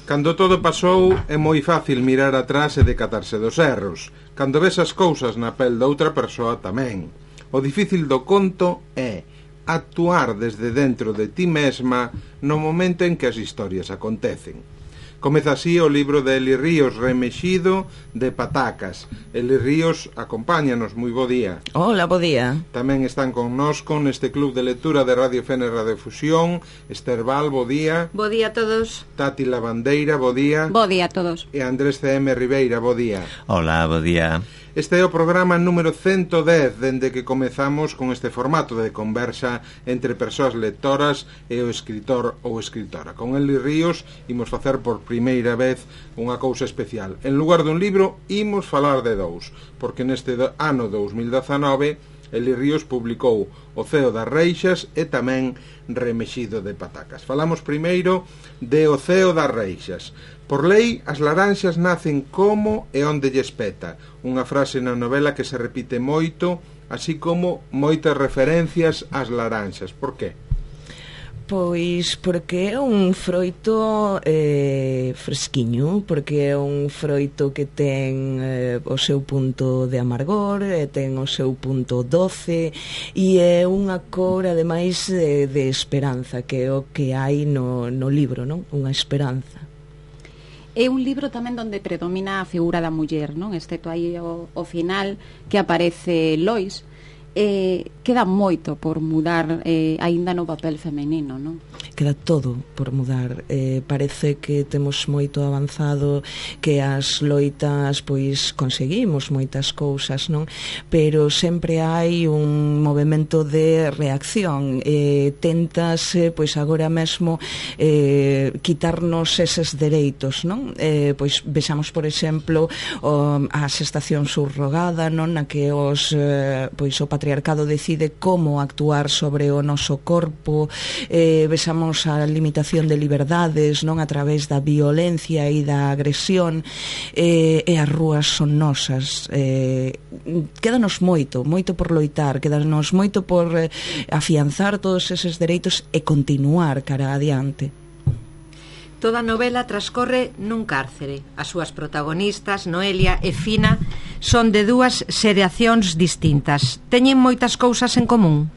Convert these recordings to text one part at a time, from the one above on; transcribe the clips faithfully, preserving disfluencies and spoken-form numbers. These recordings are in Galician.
Cando todo pasou, é moi fácil mirar atrás e decatarse dos erros. Cando ves as cousas na pel doutra persoa tamén. O difícil do conto é actuar desde dentro de ti mesma no momento en que as historias acontecen. Comeza así o libro de Eli Ríos, Remexido de Patacas. Eli Ríos, acompáñanos, moi bo día. Hola, bo día. Tamén están connosco neste club de lectura de Radio Fene Radiofusión Esther Val, bo día. Bo día a todos. Tati Lavandeira, bo día. Bo día a todos. E Andrés C M Ribeira, bo día. Hola, bo día. Este é o programa número ciento dez dende que comezamos con este formato de conversa entre persoas lectoras e o escritor ou escritora. Con Eli Ríos imos facer por primeira vez unha cousa especial. En lugar dun libro, imos falar de dous, porque neste ano dous mil dezanove Eli Ríos publicou O ceo das Reixas e tamén Remexido de Patacas. Falamos primeiro de O ceo das Reixas. Por lei, as laranxas nacen como e onde lles peta. Unha frase na novela que se repite moito, así como moitas referencias ás laranxas. Por qué? Pois porque é un froito eh, fresquiño, porque é un froito que ten eh, o seu punto de amargor, e ten o seu punto doce, e é unha cor, ademais, de, de esperanza, que é o que hai no, no libro, non? Unha esperanza. É un libro tamén onde predomina a figura da muller, non? Excepto aí o, o final que aparece Lois. Eh, queda moito por mudar eh, aínda no papel femenino, non? Queda todo por mudar. Eh, parece que temos moito avanzado, que as loitas pois conseguimos moitas cousas, non? Pero sempre hai un movimento de reacción. Eh, tentase pois agora mesmo eh, quitarnos eses dereitos, non? Eh, pois vexamos, por exemplo, o, as estacións subrogada, non? Na que os eh, pois o patriarcado decide como actuar sobre o noso corpo, eh, vexamos a limitación de liberdades, non, a través da violencia e da agresión, eh, e as rúas son nosas. Eh, quédanos moito, moito por loitar, quédanos moito por eh, afianzar todos eses dereitos e continuar cara adiante. Toda a novela transcorre nun cárcere. As súas protagonistas, Noelia e Fina, son de dúas xeracións distintas. Teñen moitas cousas en común.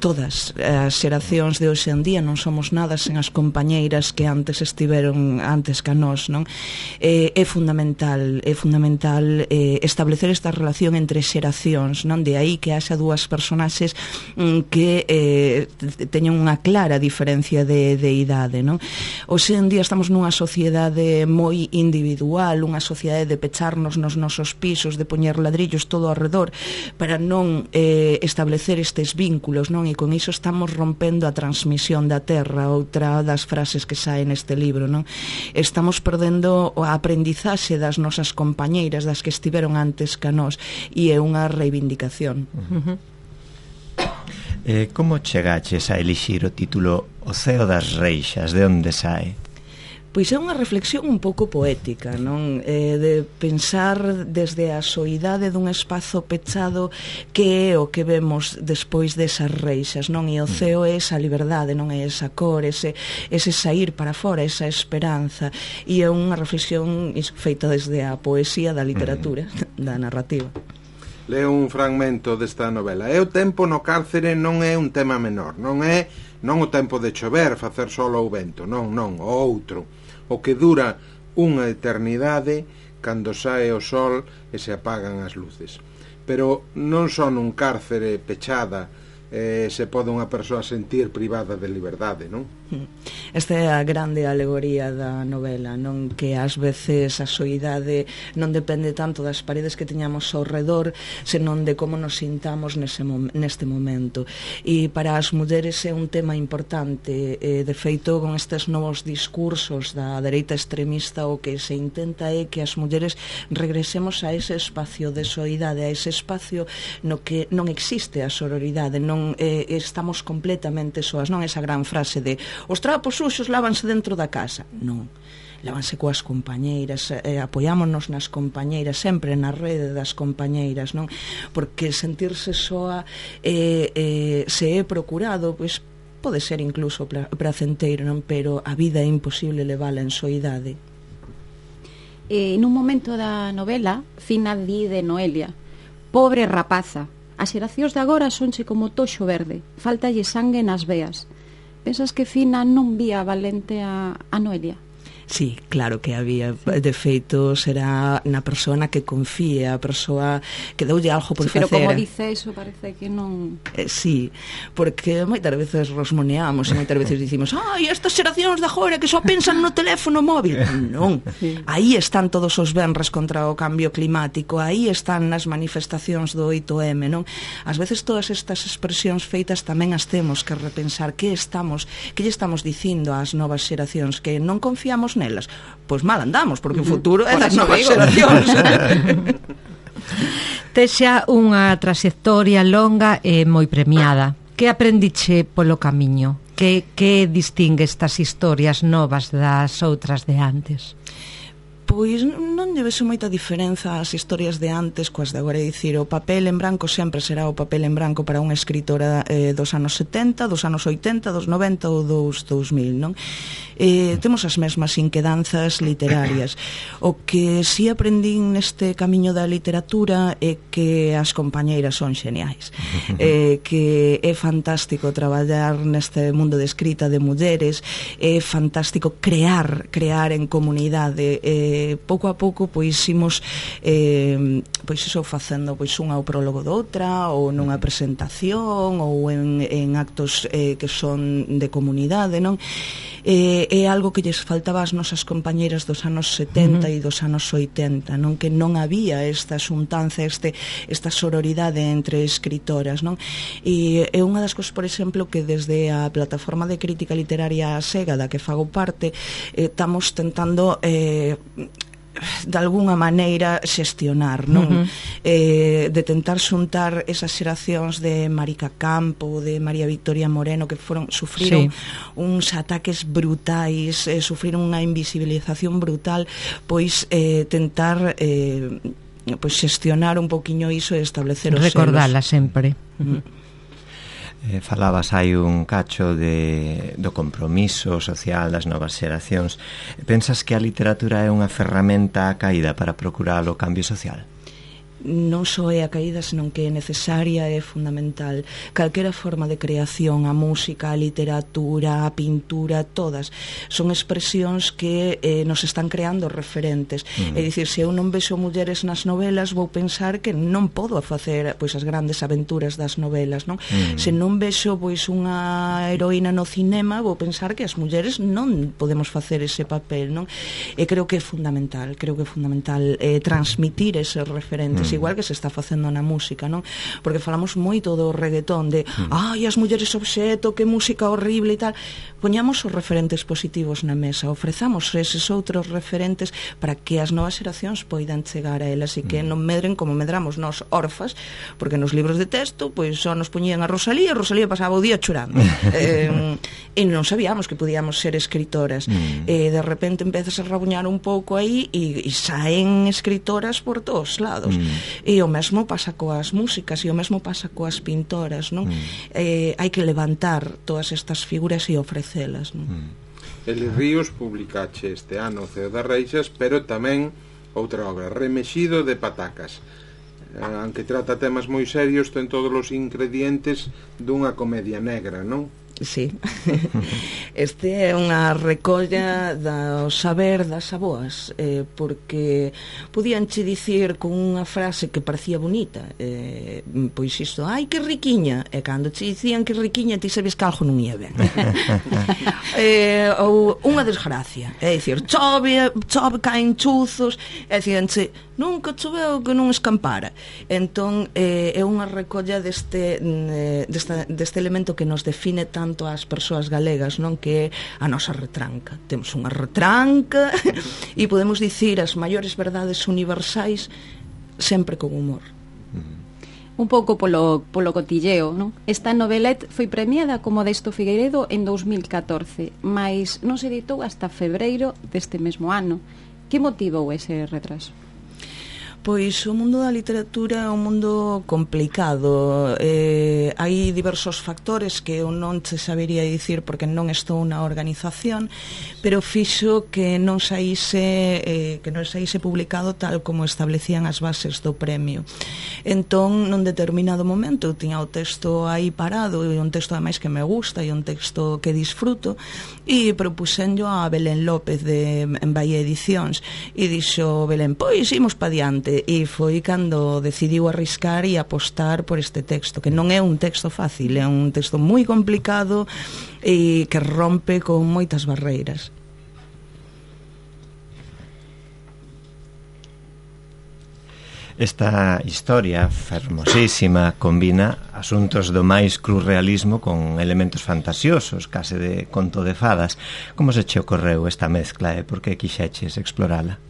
Todas as xeracións de hoxe en día non somos nada sen as compañeiras que antes estiveron antes que a nós, non? Eh, é fundamental, é fundamental eh, establecer esta relación entre xeracións, non? De aí que haxa dúas personaxes mm, que eh, teñen unha clara diferencia de, de idade, non? Hoxe en día estamos nunha sociedade moi individual, unha sociedade de pecharnos nos nosos pisos, de poñer ladrillos todo ao redor para non eh, establecer estes vínculos, non? E con iso estamos rompendo a transmisión da terra, outra das frases que sae neste libro, non? Estamos perdendo a aprendizaxe das nosas compañeiras, das que estiveron antes que a nós, e é unha reivindicación. Uh-huh. eh, Como chegaches a elixir o título O ceo das Reixas? De onde sae? Pois é unha reflexión un pouco poética, non? Eh, de pensar desde a soidade dun espazo pechado que é o que vemos despois desas reixas, non? E o ceo é esa liberdade, non? É esa cor, ese, ese sair para fora, esa esperanza. E é unha reflexión feita desde a poesía da literatura, da narrativa. Leo un fragmento desta novela. E o tempo no cárcere non é un tema menor, non é non o tempo de chover, facer sol ou vento, non, non, o outro, o que dura unha eternidade cando sae o sol e se apagan as luces. Pero non só nun cárcere pechada eh, se pode unha persoa sentir privada de liberdade, non? Esta é a grande alegoría da novela, non? Que ás veces a soidade non depende tanto das paredes que teñamos ao redor, senón de como nos sintamos nese mom neste momento. E para as mulleres é un tema importante. Eh, de feito, con estes novos discursos da dereita extremista, o que se intenta é que as mulleres regresemos a ese espacio de soidade, a ese espacio no que non existe a sororidade, non eh, estamos completamente soas, non? Esa gran frase de os trapos suxos lávanse dentro da casa. Non, lávanse coas compañeiras, eh, apoiámonos nas compañeiras, sempre na rede das compañeiras, non? Porque sentirse soa eh, eh, se é procurado, pois pode ser incluso pracenteiro, non? Pero a vida é imposible levala en soidade. Eh, nun momento da novela, Fina di de Noelia: pobre rapaza, as xeracións de agora sonche como toxo verde, faltalle sangue nas veas. Pensas que Fina non vía valente a, a Noelia? Sí, claro que había. De feito, será na persona que confíe, a persoa que doulle algo por sí, pero facer. Pero como dice eso, parece que non... Eh, sí, porque moitas veces rosmoneamos e moitas veces dicimos ai, estas xeracións de agora que só pensan no teléfono móvil. Non, sí. Aí están todos os venres contra o cambio climático, aí están nas manifestacións do oito eme, non? Ás veces todas estas expresións feitas tamén as temos que repensar. Que estamos, que lle estamos dicindo ás novas xeracións? Que non confiamos nelas? Pois mal andamos, porque o futuro é das novas xeracións. Texa unha traxectoria longa e moi premiada. Que aprendiche polo camiño? Que, que distingue estas historias novas das outras de antes? Pois non lle vexo moita diferenza as historias de antes coas de agora. É dicir, o papel en branco sempre será o papel en branco para unha escritora eh, dos anos setenta, dos anos oitenta, dos noventa ou dos dous mil, non? Eh, temos as mesmas inquedanzas literarias. O que si aprendín neste camiño da literatura é que as compañeiras son xeniais, eh, que é fantástico traballar neste mundo de escrita de mulleres, é fantástico crear, crear en comunidade. eh, pouco a pouco pois imos eh, pois iso facendo pois unha ao prólogo doutra ou nunha presentación ou en, en actos eh, que son de comunidade, non? Eh, é algo que lles faltaba ás nosas compañeiras dos anos setenta uh-huh. e dos anos oitenta, non? Que non había esta xuntanza, este, esta sororidade entre escritoras, non? E é unha das cousas, por exemplo, que desde a plataforma de crítica literaria SEGA da que fago parte, eh, estamos tentando eh, de alguna maneira xestionar, non? Uh-huh. Eh, de tentar xuntar esas xeracións de Marica Campo, de María Victoria Moreno, que foron sufriron sí. uns ataques brutais, eh, sufriron unha invisibilización brutal, pois eh, tentar eh, pois xestionar un poquiño iso e establecer os recordala sempre. Uh-huh. Eh, falabas hai un cacho de, do compromiso social das novas xeracións. Pensas que a literatura é unha ferramenta caída para procurar o cambio social? Non só é a caída, senón que é necesaria e fundamental. Calquera forma de creación, a música, a literatura, a pintura, todas son expresións que eh, nos están creando referentes. Mm. É dicir, se eu non vexo mulleres nas novelas, vou pensar que non podo facer pois as grandes aventuras das novelas, non? Mm. Se non vexo pois unha heroína no cinema, vou pensar que as mulleres non podemos facer ese papel, non? E creo que é fundamental, creo que é fundamental eh, transmitir eses referentes. Mm. Igual que se está facendo na música, non? Porque falamos moito do reggaetón, de mm. ai, as mulleres obxeto, que música horrible e tal. Poñamos os referentes positivos na mesa, ofrezamos eses outros referentes para que as novas xeracións poidan chegar a elas e que mm. non medren como medramos nós orfas, porque nos libros de texto pois só nos poñían a Rosalía e Rosalía pasaba o día chorando. eh, e non sabíamos que podíamos ser escritoras. Mm. E de repente empezas a rabuñar un pouco aí e, e saen escritoras por todos lados. Mm. E o mesmo pasa coas músicas e o mesmo pasa coas pintoras, non? Mm. Eh, hai que levantar todas estas figuras e ofrecelas, non? Mm. Eli Ríos publicache este ano o Ceo das Reixas, pero tamén outra obra, Remexido de Patacas. Eh, aunque trata temas moi serios, ten todos os ingredientes dunha comedia negra, non? Sí. Este é unha recolla do saber das aboas, eh, porque podíanche dicir con unha frase que parecía bonita, eh, pois isto, ai que riquiña, e cando che dicían que riquiña ti sabes que algo non ia ben. eh, ou unha desgracia, é dicir, chove, chove, caen chuzos, e dicíanche, nunca choveu que non escampara. Entón eh, é unha recolla deste, deste, deste elemento que nos define tanto ás persoas galegas, non? Que é a nosa retranca. Temos unha retranca e podemos dicir as maiores verdades universais sempre con humor. Un pouco polo, polo cotilleo, non? Esta novelet foi premiada como Desto Figueiredo en dous mil catorce, mas non se editou hasta febreiro deste mesmo ano. Que motivou ese retraso? Pois o mundo da literatura é un mundo complicado. Eh, hai diversos factores que eu non te sabería dicir porque non estou na organización, pero fixo que non saíse eh, que non saíse publicado tal como establecían as bases do premio. Entón, nun determinado momento eu tiña o texto aí parado, e un texto ademais que me gusta e un texto que disfruto, e propuxenlo a Belén López de en Bahía Edicións, e dixo Belén, pois imos pa diante. E foi cando decidiu arriscar e apostar por este texto, que non é un texto fácil, é un texto moi complicado e que rompe con moitas barreiras. Esta historia fermosísima combina asuntos do máis cruz realismo con elementos fantasiosos, case de conto de fadas. Como se che ocorreu esta mezcla e por que quixeches explorala?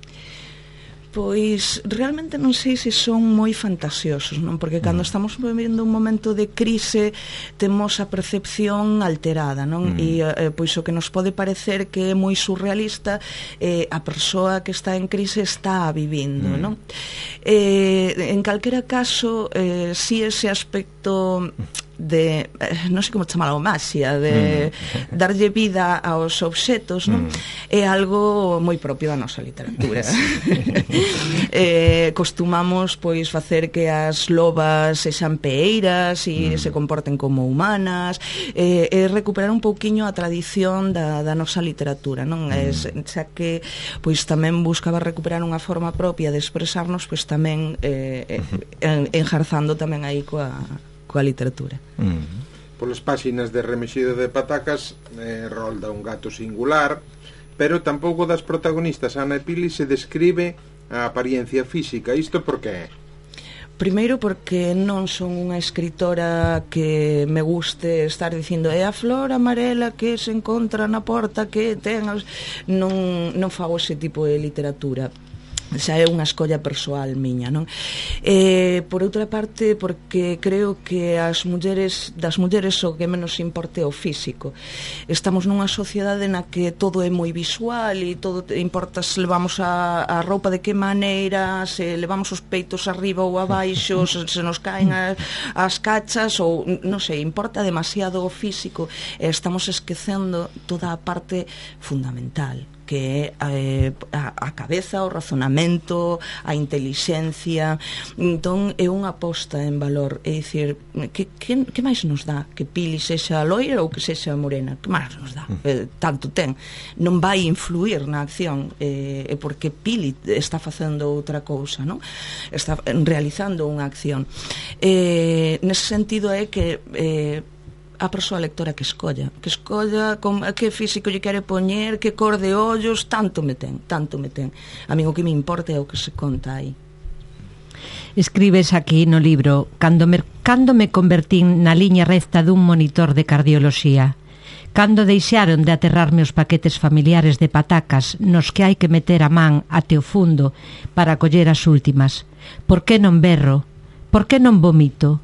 Pois realmente non sei se son moi fantasiosos, non? Porque cando mm. estamos vivendo un momento de crise temos a percepción alterada, non? Mm. E eh, pois o que nos pode parecer que é moi surrealista, eh, a persoa que está en crise está vivindo, mm. non? Eh, en calquera caso, eh, si ese aspecto de, eh, non sei como chamalo, maxia, de mm. darlle vida aos obxetos, non? Mm. É algo moi propio da nosa literatura. eh, costumamos pois facer que as lobas sexan peeiras e mm. se comporten como humanas, eh, e recuperar un pouquiño a tradición da, da nosa literatura, non? Mm. Es, xa que pois tamén buscaba recuperar unha forma propia de expresarnos, pois tamén eh, en, enjarzando tamén aí coa coa literatura. Mm. Polas páxinas de Remexido de Patacas eh, rolda un gato singular, pero tampouco das protagonistas Ana e Pili se describe a apariencia física. Isto por que é? Primeiro porque non son unha escritora que me guste estar dicindo é a flor amarela que se encontra na porta que ten... Non, non fago ese tipo de literatura. Xa é unha escolla persoal miña, non? Eh, por outra parte, porque creo que as mulleres, das mulleres o que menos importa é o físico. Estamos nunha sociedade na que todo é moi visual e todo importa se levamos a, a roupa de que maneira, se levamos os peitos arriba ou abaixo, se, se nos caen as, as cachas ou, non sei, importa demasiado o físico e estamos esquecendo toda a parte fundamental, que é eh, a, a cabeza, o razonamento, a intelixencia. Entón é unha aposta en valor, é dicir, que, que, que máis nos dá que Pili sexa loira ou que sexa morena? Que máis nos dá? Eh, tanto ten, non vai influir na acción, eh, é porque Pili está facendo outra cousa, non? Está realizando unha acción. Eh, nese sentido é que eh, a persoa lectora que escolla, que escolla con que físico lle quere poñer, que cor de ollos, tanto me ten, tanto me ten. A mí o que me importa é o que se conta aí. Escribes aquí no libro: cando me, cando me convertín na liña recta dun monitor de cardioloxía, cando deixaron de aterrarme os paquetes familiares de patacas nos que hai que meter a man até o fundo para coller as últimas, por que non berro? Por que non vomito?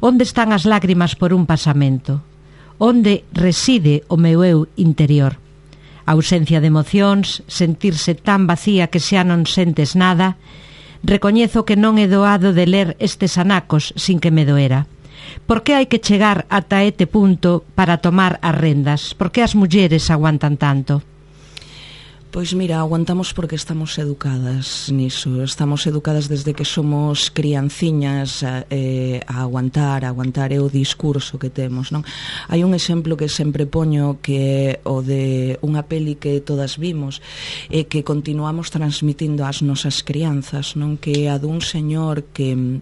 Onde están as lágrimas por un pasamento? Onde reside o meu eu interior? A ausencia de emocións, sentirse tan vacía que xa non sentes nada. Recoñezo que non he doado de ler estes anacos sin que me doera. Por que hai que chegar ata este punto para tomar as rendas? Por que as mulleres aguantan tanto? Pois mira, aguantamos porque estamos educadas niso. Estamos educadas desde que somos crianciñas eh, a aguantar, a aguantar é o discurso que temos, non? Hai un exemplo que sempre poño que é o de unha peli que todas vimos e que continuamos transmitindo ás nosas crianzas, non? Que é a dun señor que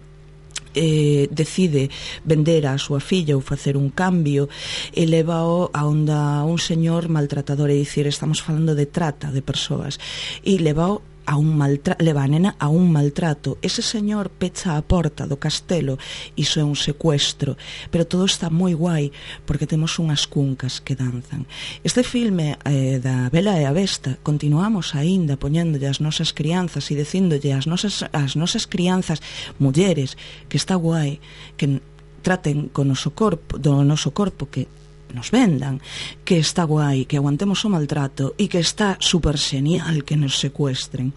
Eh, decide vender a súa filla ou facer un cambio e leva-o a onda un señor maltratador, é dicir, estamos falando de trata de persoas, e leva-o a un maltrato, leva a nena a un maltrato. Ese señor pecha a porta do castelo, iso é un secuestro, pero todo está moi guai porque temos unhas cuncas que danzan. Este filme eh, da Bela e a Besta continuamos aínda poñéndolle as nosas crianzas e dicíndolle as nosas, as nosas crianzas mulleres que está guai que traten con o noso corpo, do noso corpo, que nos vendan, que está guai, que aguantemos o maltrato e que está super genial que nos secuestren.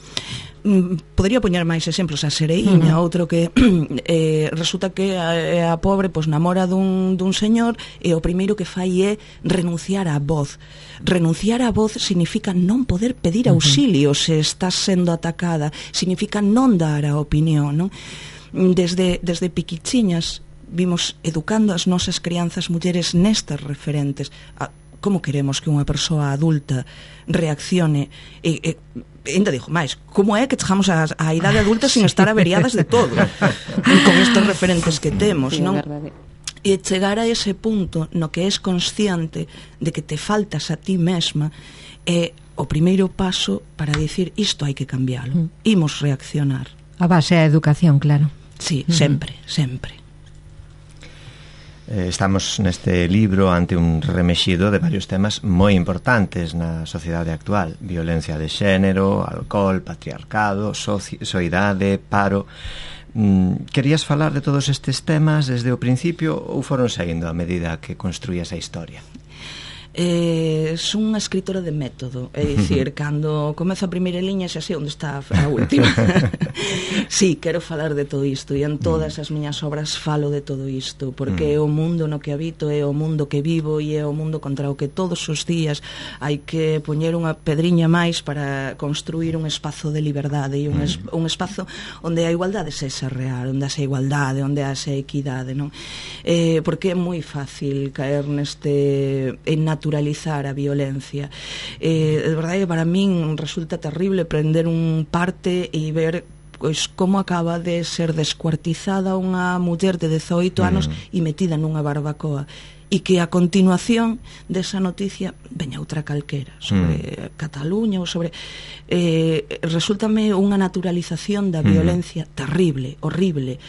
Podría poñer máis exemplos, a Sereiña, uh-huh. outro que eh, resulta que a, a pobre pois, namora dun, dun señor e o primeiro que fai é renunciar á voz. Renunciar á voz significa non poder pedir auxilio uh-huh. se estás sendo atacada, significa non dar a opinión, non? Desde, desde piquichiñas vimos educando as nosas crianzas mulleres nestas referentes. A, como queremos que unha persoa adulta reaccione e, e ainda digo máis, como é que chegamos á, á idade adulta sin estar averiadas de todo con estes referentes que temos, non? E chegar a ese punto no que és consciente de que te faltas a ti mesma é o primeiro paso para dicir isto hai que cambiálo, imos reaccionar. A base é a educación, claro. Sí, sempre, sempre. Estamos neste libro ante un remexido de varios temas moi importantes na sociedade actual: violencia de xénero, alcohol, patriarcado, soidade, paro. Querías falar de todos estes temas desde o principio ou foron seguindo a medida que construías a historia? Eh, son unha escritora de método, é dicir, cando comezo a primeira liña xa sei onde está a última. Sí, quero falar de todo isto e en todas as miñas obras falo de todo isto, porque é o mundo no que habito, é o mundo que vivo e é o mundo contra o que todos os días hai que poñer unha pedriña máis para construir un espazo de liberdade e un, es, un espazo onde a igualdade sexa real, onde haxa igualdade, onde haxa equidade, non? Eh, porque é moi fácil caer neste en naturalizar a violencia. Eh, de verdade que para min resulta terrible prender un parte e ver pois como acaba de ser descuartizada unha muller de dezoito anos mm. e metida nunha barbacoa, e que a continuación desa noticia veña outra calquera sobre mm. Cataluña ou sobre eh, resúltame unha naturalización da violencia mm. terrible, horrible.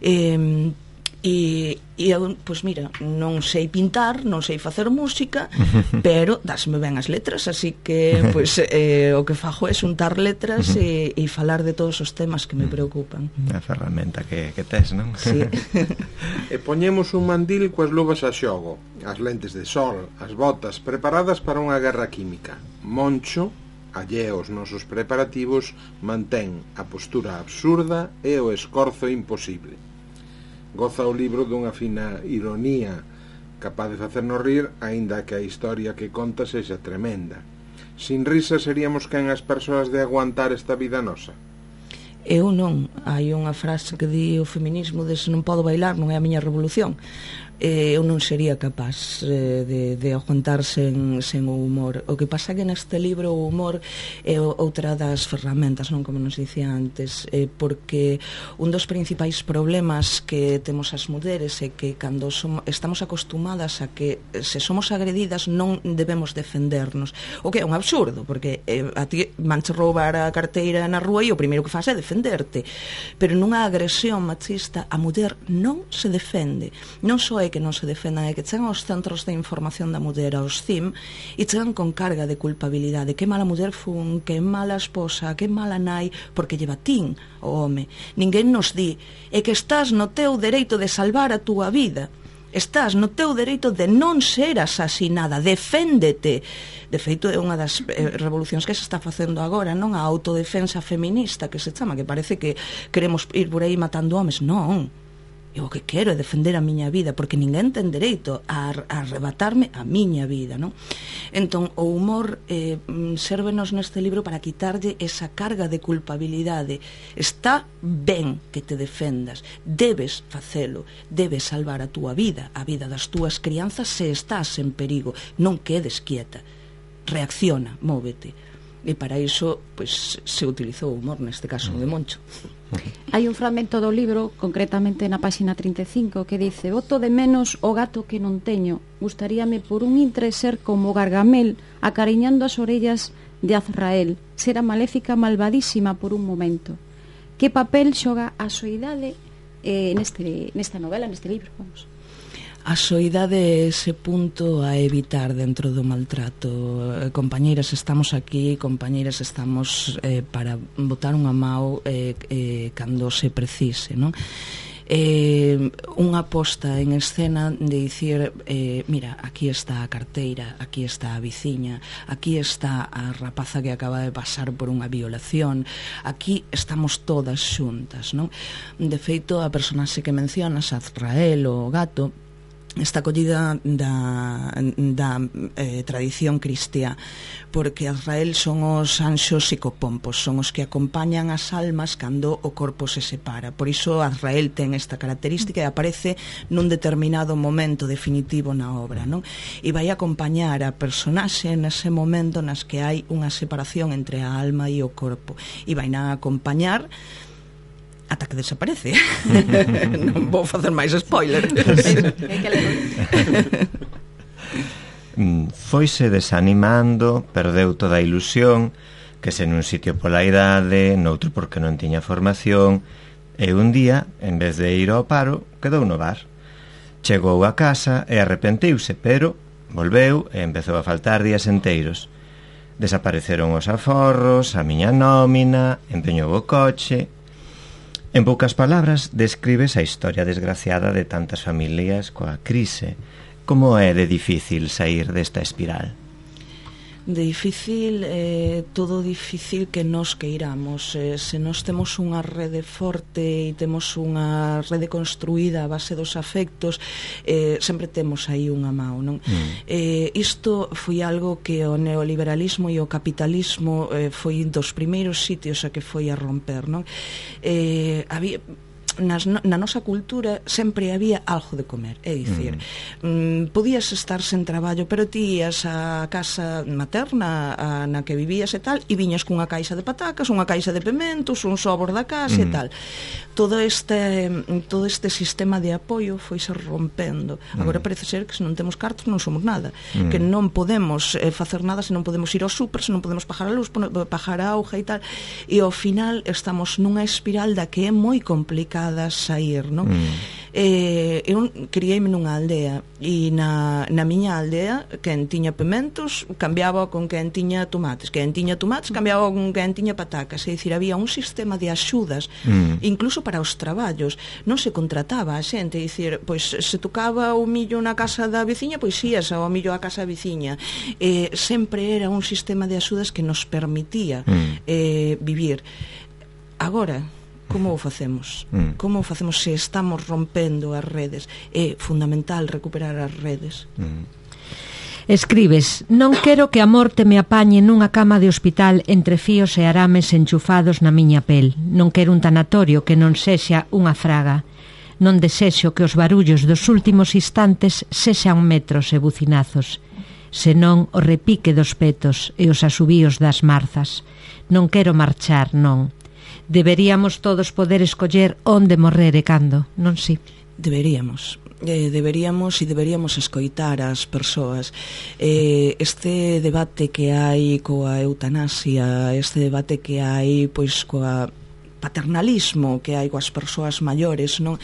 eh, E, e eu, pois mira, non sei pintar, non sei facer música, pero dásme ben as letras, así que pois, eh, o que fago é xuntar letras e, e falar de todos os temas que me preocupan. A ferramenta que, que tes, non? Sí. E poñemos un mandil coas luvas a xogo, as lentes de sol, as botas preparadas para unha guerra química. Moncho, alleo aos nosos preparativos, mantén a postura absurda e o escorzo imposible. Goza o libro dunha fina ironía capaz de facernos rir, aínda que a historia que conta sexa tremenda. Sin risa seríamos quen as persoas de aguantar esta vida nosa? Eu non. Hai unha frase que di o feminismo de se non podo bailar non é a miña revolución. Eh, eu non sería capaz eh, de, de aguantar sen, sen o humor. O que pasa que neste libro o humor é outra das ferramentas, non, como nos dicía antes, eh, porque un dos principais problemas que temos as mulleres é que cando somos, estamos acostumadas a que se somos agredidas non debemos defendernos, o que é un absurdo, porque eh, a ti manche roubar a carteira na rúa e o primeiro que faz é defenderte, pero nunha agresión machista a muller non se defende, non só é que non se defendan, é que chegan aos centros de información da muller, aos C I M, e chegan con carga de culpabilidade. Que mala muller fun, que mala esposa, que mala nai, porque lleva tin o home. Ninguén nos di, é que estás no teu dereito de salvar a túa vida, estás no teu dereito de non ser asasinada, deféndete. De feito, é unha das eh, revolucións que se está facendo agora, non a autodefensa feminista que se chama, que parece que queremos ir por aí matando homes. Non, eu o que quero é defender a miña vida, porque ninguén ten dereito a, a arrebatarme a miña vida, non? Entón, o humor eh, sérvenos neste libro para quitarlle esa carga de culpabilidade. Está ben que te defendas, debes facelo, debes salvar a túa vida, a vida das túas crianzas se estás en perigo, non quedes quieta, reacciona, móvete. E para iso, pois, se utilizou o humor, neste caso de Moncho. Hai un fragmento do libro, concretamente na páxina trinta e cinco, que dice: boto de menos o gato que non teño, gustaríame por un intre ser como Gargamel, acariñando as orellas de Azrael, ser a maléfica malvadísima por un momento. Que papel xoga a soidade eh, neste, nesta novela, neste libro, vamos? A soidade é ese punto a evitar dentro do maltrato. Eh, compañeiras, estamos aquí, compañeiras, estamos eh, para botar unha mão eh, eh, cando se precise, non? eh, unha posta en escena de dicir eh, mira, aquí está a carteira, aquí está a veciña, aquí está a rapaza que acaba de pasar por unha violación, aquí estamos todas xuntas, non? De feito, a personaxe que mencionas, Azrael, o gato, está collida da, da eh, tradición cristiá, porque Azrael son os anxos psicopompos, son os que acompañan as almas cando o corpo se separa. Por iso Azrael ten esta característica e aparece nun determinado momento definitivo na obra, non? E vai acompañar a personaxe nese momento nas que hai unha separación entre a alma e o corpo, e vai na acompañar ata que desaparece. Non vou facer máis spoiler. Foise desanimando, perdeu toda a ilusión, que se nun sitio pola idade, noutro porque non tiña formación, e un día, en vez de ir ao paro, quedou no bar. Chegou a casa e arrepentiuse, pero volveu e empezou a faltar días enteiros. Desapareceron os aforros, a miña nómina, empeñou o coche. En poucas palabras, describes a historia desgraciada de tantas familias coa crise. Como é de difícil sair desta espiral? De difícil, eh, todo difícil que nos queiramos. Eh, se nos temos unha rede forte e temos unha rede construída a base dos afectos, eh, sempre temos aí unha mão, non? Mm. Eh, isto foi algo que o neoliberalismo e o capitalismo eh, foi dos primeiros sitios a que foi a romper, non? Eh, había... Nas, na nosa cultura sempre había algo de comer, é dicir, mm. mm, podías estar sen traballo, pero ti ías á casa materna a, na que vivías e tal, e viñas cunha caixa de patacas, unha caixa de pementos, un sobor da casa mm. e tal. Todo este todo este sistema de apoio foise rompendo. Mm. Agora parece ser que se non temos cartos non somos nada, mm. que non podemos eh, facer nada se non podemos ir ao súper, se non podemos pagar a luz, pagar a auga e tal, e ao final estamos nunha espiral da que é moi complicada sair, non? Mm. Eh, eu criei-me nunha aldea e na, na miña aldea quen tiña pementos cambiaba con quen tiña tomates, quen tiña tomates cambiaba con quen tiña patacas, é dicir, había un sistema de axudas mm. incluso para os traballos, non se contrataba a xente, é dicir, pois se tocaba o millo na casa da veciña, pois ías ao millo á casa da veciña. Eh, sempre era un sistema de axudas que nos permitía mm. eh, vivir. Agora, como o facemos? Mm. Como o facemos se estamos rompendo as redes? É fundamental recuperar as redes. Mm. Escribes: non quero que a morte me apañe nunha cama de hospital entre fíos e arames enchufados na miña pel. Non quero un tanatorio que non sexa unha fraga. Non desexo que os barullos dos últimos instantes sexan metros e bucinazos, senón o repique dos petos e os asubíos das marzas. Non quero marchar, non. Deberíamos todos poder escoller onde morrer e cando, non si? Deberíamos. Eh, deberíamos e deberíamos escoitar as persoas. Eh, este debate que hai coa eutanasia, este debate que hai pois coa paternalismo que hai coas persoas maiores, non?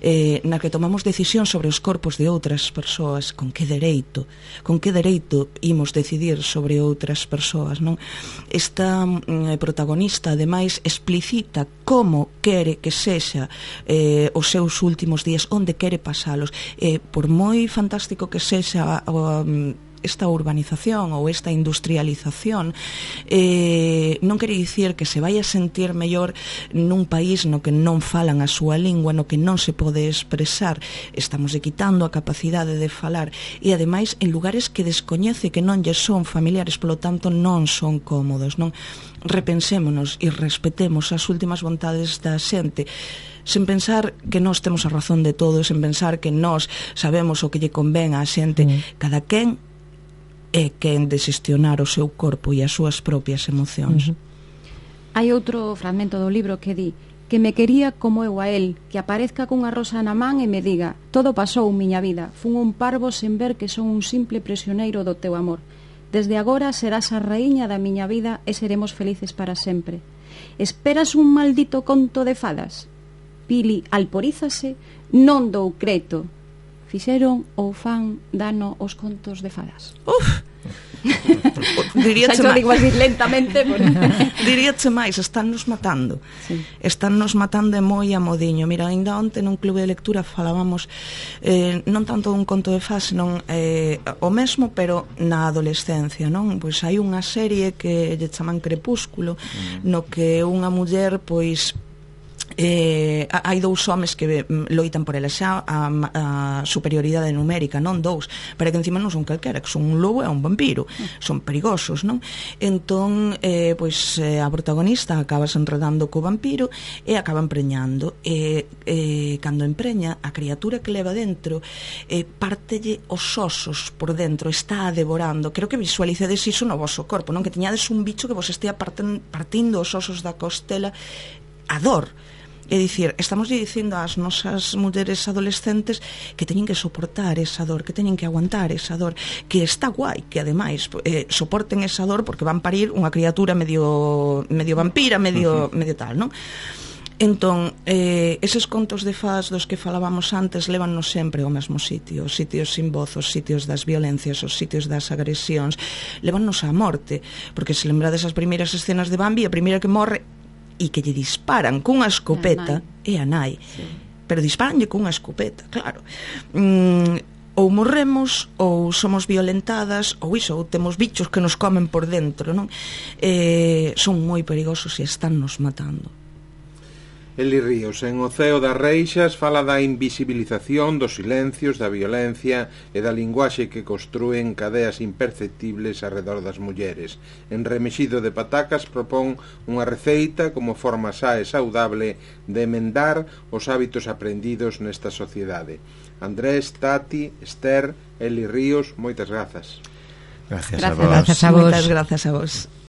Eh, na que tomamos decisión sobre os corpos de outras persoas, con que dereito con que dereito imos decidir sobre outras persoas, non? Esta eh, protagonista ademais explicita como quere que sexa eh, os seus últimos días, onde quere pasalos. Eh, por moi fantástico que sexa um, esta urbanización ou esta industrialización, eh, non quere dicir que se vai a sentir mellor nun país no que non falan a súa lingua, no que non se pode expresar. Estamos quitando a capacidade de falar e ademais en lugares que descoñece, que non lle son familiares, polo tanto non son cómodos, non? Repensémonos e respetemos as últimas vontades da xente, sen pensar que nós temos a razón de todo, sen pensar que nós sabemos o que lle convén á xente. Mm. Cada quen é quen de xestionar o seu corpo e as súas propias emocións. Uh-huh. Hai outro fragmento do libro que di: que me quería como eu a él, que aparezca cunha rosa na man e me diga: todo pasou, miña vida, fun un parvo sen ver que son un simple prisioneiro do teu amor. Desde agora serás a raíña da miña vida e seremos felices para sempre. Esperas un maldito conto de fadas? Pili alporízase: non dou creto. fixeron ou fan dano os contos de fadas? Uf! Diríache Xa máis, digo así lentamente por... diríache máis, estánnos matando. Sí. Estánnos matando e moi a modiño. Mira, ainda onte nun clube de lectura falábamos eh, non tanto dun conto de fadas, senón eh, o mesmo, pero na adolescencia, non? Pois hai unha serie que lle chaman Crepúsculo, mm. no que unha muller, pois Eh, hai dous homes que loitan por ela xa a, a superioridade numérica, non dous, pero que encima non son calquera, que son un lobo e un vampiro, mm. son perigosos, non? Entón, eh, pois eh, a protagonista acaba se enredando co vampiro e acaba empreñando e eh, cando empreña, a criatura que leva dentro eh, pártelle os osos por dentro, está a devorando. Creo que visualicedes iso no voso corpo, non? Que teñades un bicho que vos estea parten, partindo os osos da costela a dor. É dicir, estamos dicindo ás nosas mulleres adolescentes que teñen que soportar esa dor, que teñen que aguantar esa dor, que está guai, que ademais eh, soporten esa dor porque van parir unha criatura medio medio vampira, medio, uh-huh. medio tal, non? Entón, eh, eses contos de fadas dos que falábamos antes lévannos sempre ao mesmo sitio, os sitios sin voz, os sitios das violencias, os sitios das agresións, lévannos á morte, porque se lembrades as primeiras escenas de Bambi, a primeira que morre e que lle disparan cunha escopeta é a nai, sí. Pero disparanlle cunha escopeta, claro. mm, ou morremos ou somos violentadas ou iso, ou temos bichos que nos comen por dentro, non? Eh, son moi perigosos e están nos matando. Eli Ríos, en O ceo das reixas, fala da invisibilización dos silencios, da violencia e da linguaxe que construen cadeas imperceptibles arredor das mulleres. En Remexido de Patacas propón unha receita como forma xa e saudable de emendar os hábitos aprendidos nesta sociedade. Andrés, Tati, Esther, Eli Ríos, moitas grazas. Gracias, Gracias. a vos. Gracias a vos. Moitas grazas a vos.